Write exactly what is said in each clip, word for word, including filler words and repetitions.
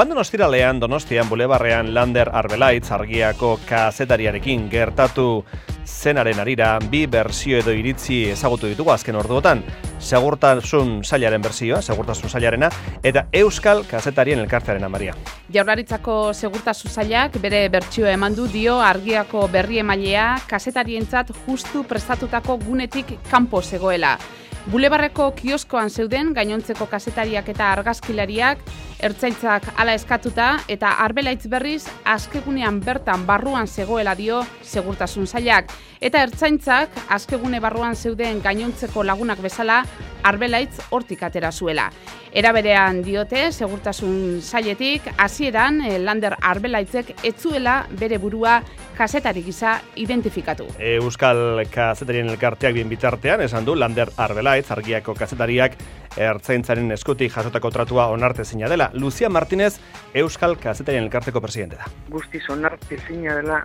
Joan den ostiralean Donostian bulebarrean Lander Arbelaitz argiako kazetariarekin gertatu zenaren arira bi berzio edo iritzi ezagutu ditugu azken orduotan. Segurtasun sailaren berzioa, segurtasun sailarena, eta Euskal Kazetarien Elkartearena, Maria. Jaurlaritzako segurtasun sailak bere bertsioa eman du dio argiako berri emailea kazetarientzat justu prestatutako gunetik kanpo zegoela. Bulebarreko kioskoan zeuden gainontzeko kazetariak eta argazkilariak, ertzaintzak hala eskatuta eta Arbelaitz berriz askegunean bertan barruan zegoela dio segurtasun sailak. Eta ertzaintzak askegune barruan zeuden gainontzeko lagunak bezala Arbelaitz hortik atera zuela. Era berean diote segurtasun sailetik hasieran Lander Arbelaitzek ez zuela bere burua kazetari gisa identifikatu. Euskal Kazetarien Elkarteak bien bitartean esan du Lander Arbelaitz argiako kazetariak ertzaintzaren eskutik jasotako tratua onartezina dela. Lucia Martínez Euskal Kazetarien Elkarteko presidente da. Guztiz onartezina dela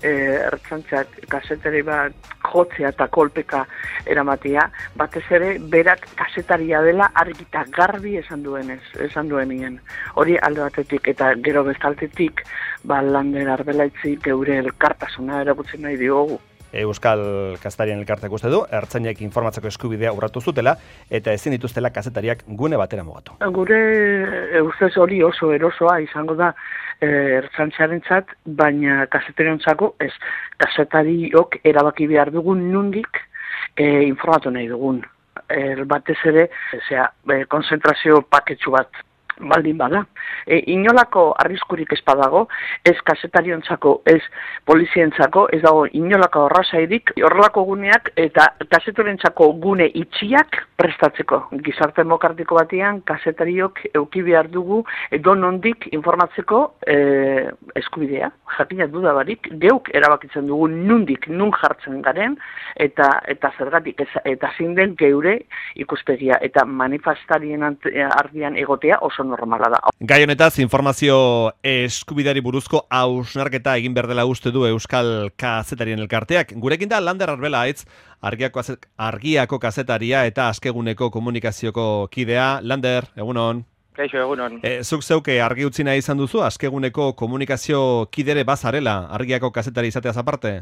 eh, ertzaintzak kazetari bat jotzea eta kolpeka eramatea, batez ere berak kazetaria dela argita garbi esan duenez, esan duenien. Hori alde batetik eta gero bestaltetik ba Lander Arbelaitzi geure elkartasuna erakutzen nahi diogu. Euskal Kazetarien Elkarteak uste du, ertzainek informatzeko eskubidea urratu zutela eta ezin dituztela kazetariak gune batera mugatu. Gure ustez hori oso erosoa izango da eh, ertzaintzarentzat, baina kazetariontzako ez. Kazetariok erabaki behar dugun nundik eh, informatu nahi dugun. Eh, batez ere, zera, eh, konzentrazio paketsu bat baldin bada. E, inolako arriskurik ez badago, ez kazetariontzako, ez polizientzako, ez dago inolako arrazairik, horrelako guneak eta kazetarientzako gune itxiak prestatzeko. Gizarte demokratiko batean, kazetariok euki behar dugu edo nondik informatzeko e, eskubidea. Jakina dudabarik, geuk erabakitzen dugu nundik, nun jartzen garen, eta eta zergatik, eta zein den geure ikuspegia, eta manifestarien ardian egotea oso normala da. Gai honetaz, informazio eskubideari buruzko hausnarketa egin behar dela uste du Euskal Kazetarien Elkarteak. Gurekin da Lander Arbelaitz, argiako, argiako kazetaria eta askeguneko komunikazioko kidea. Lander, egunon. Kaixo, egunon. E, zuk zeuke argi utzi nahi izan duzu, askeguneko komunikazio kidere bazarela, argiako kazetari izateaz aparte?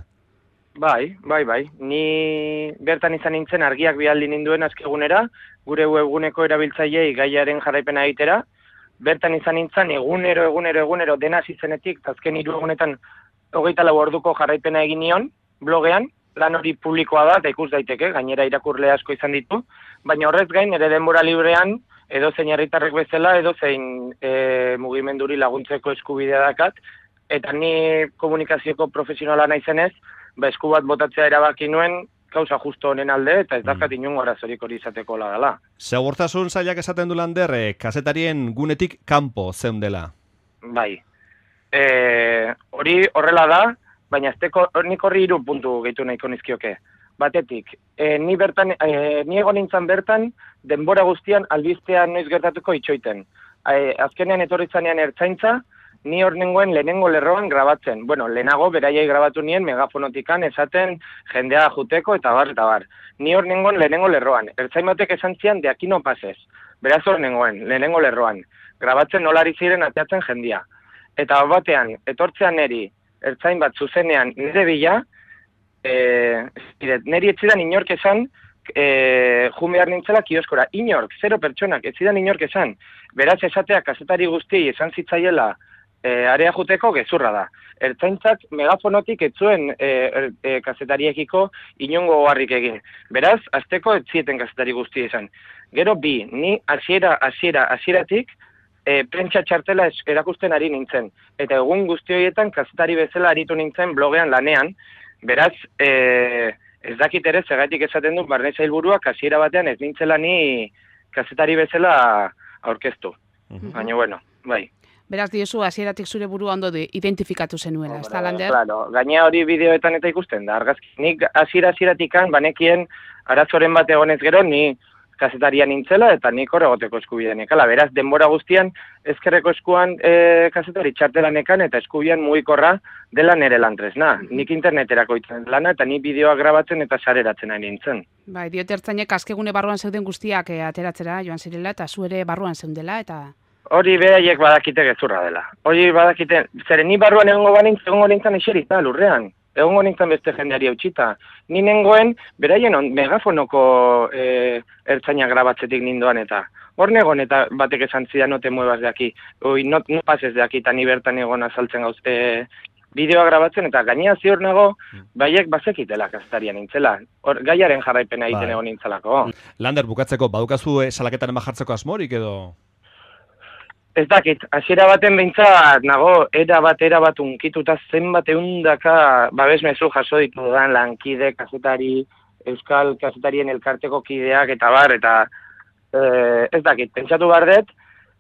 Bai, bai, bai. Ni bertan izan nintzen argiak bialdi ninduen askegunera, gure webguneko erabiltzaileei gaiaren jarraipena egitera. Bertan izan nintzen egunero, egunero, egunero dena izenetik, azken hiru egunetan hogeita lau orduko jarraipena egin nion, blogean, lan hori publikoa da, eta ikus daiteke, gainera irakurle asko izan ditu, baina horrez gain, ere denbora librean, edo zein herritarrek bezala, edo zein e, mugimenduri laguntzeko eskubidea dakat, eta ni komunikazioko profesionala naizenez, ba, esku bat botatzea erabaki nuen, kausa justo honen alde, eta ez dakat inungo arazorik hori izateko dela. Segurtasun sailak esaten du Lander, eh, kazetarien gunetik kanpo zeundela. Bai. E, hori horrela da, baina azteko nik horri hiru puntu gehitu nahiko nizkioke. Batetik, e, ni bertan, e, ni egon nintzen bertan, denbora guztian albiztean noiz gertatuko itxoiten. E, azkenean etorri zanean ertzaintza, ni hor nengoen lehenengo lerroan grabatzen. Bueno, lehenago beraiai grabatu nien megafonotikan esaten jendea juteko eta bar, eta bar. Ni hor nengoen lehenengo lerroan. Ertzain batek esan zian de aquí no pases. Beraz hor nengoen, lehenengo lerroan. Grabatzen nolari ziren ateatzen jendia. Eta hor batean, etortzean neri, ertzain bat zuzenean nire bila, e, neri etzidan inork esan, e, jun behar nintzela kioskora. Inork, zero pertsonak, etzidan inork esan. Beraz esatea kazetari guzti esan zitzaiela, E, area juteko gezurra da. Ertzaintzak megafonotik ez zuen e, e, kazetariekiko inongo oharrik egin. Beraz, azteko ez zieten kazetari guzti izan. Gero bi, ni hasiera hasiera hasieratik e, prentsa txartela erakusten ari nintzen. Eta egun guzti horietan kazetari bezala aritu nintzen blogean lanean. Beraz, e, ez dakit ere zergatik esaten du barne sailburuak hasiera batean ez nintzela ni kazetari bezala aurkeztu. Mm-hmm. Baina bueno, bai. Beraz diozu hasieratik zure burua ondo identifikatu zenuela, ez da, Lander? Claro, gaina hori bideoetan eta ikusten da, argazki. Nik hasiera hasieratik banekien arazoren bat egonez gero, ni kazetaria nintzela eta nik hor egoteko eskubidea nekala. Beraz, denbora guztian ezkerreko eskuan e, kazetari txartela nekan eta eskubian mugikorra dela nere lantresna. Nik interneterako itzen lana eta ni bideoa grabatzen eta sareratzen ari nintzen. Bai, diote ertzainek askegune barruan zeuden guztiak e, ateratzera joan zirela eta zu ere barruan zeundela eta... hori behaiek badakite gezurra dela. Hori badakite, zeren ni barruan egongo banintz, egongo nintzen eserita lurrean. Egongo nintzen beste jendeari eutxita. Ni nengoen, beraien on, megafonoko e, ertzaina grabatzetik nindoan eta. Hor negon eta batek esan zidan no te muevas de aquí. Oi, no, no pases de aquí, eta ni bertan egon azaltzen gauz. E, bideoa grabatzen eta gainea ziur nago, baiek bazekitela kazetarian nintzela. Hor, gaiaren jarraipena egiten egon nintzelako. Lander, bukatzeko, badukazu salaketaren bajartzeko asmorik edo? Ez dakit, hasiera baten behintzat nago, era bat, era bat unkituta zenbat eundaka babesmezu jaso ditu dudan lankide, kazetari, euskal kazetarien elkarteko kideak eta bar, eta eh, ez dakit, pentsatu behar dut,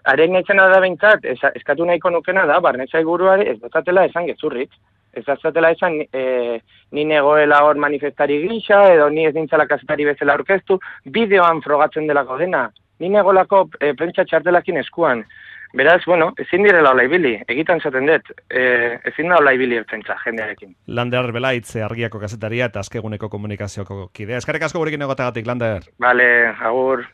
haren etzena da behintzat, eskatu nahiko nukena da, barnetzai buruari ez dozatela esan gezurrik, ez dozatela esan e, ni negoela hor manifestari gisa, edo ni ez nintzala kazetari bezala aurkeztu, bideoan frogatzen delako dena, ni negolako e, prentsa txartelakin eskuan. Beraz, bueno, ezin direla hola ibili, egitan zaten dut, e, ezin da hola ibili ertzentza jendearekin. Lander Arbelaitz, Argiako kazetaria eta azkeguneko komunikazioko kidea. Eskerrik asko gurekin egotagatik, Lander. Vale, agur.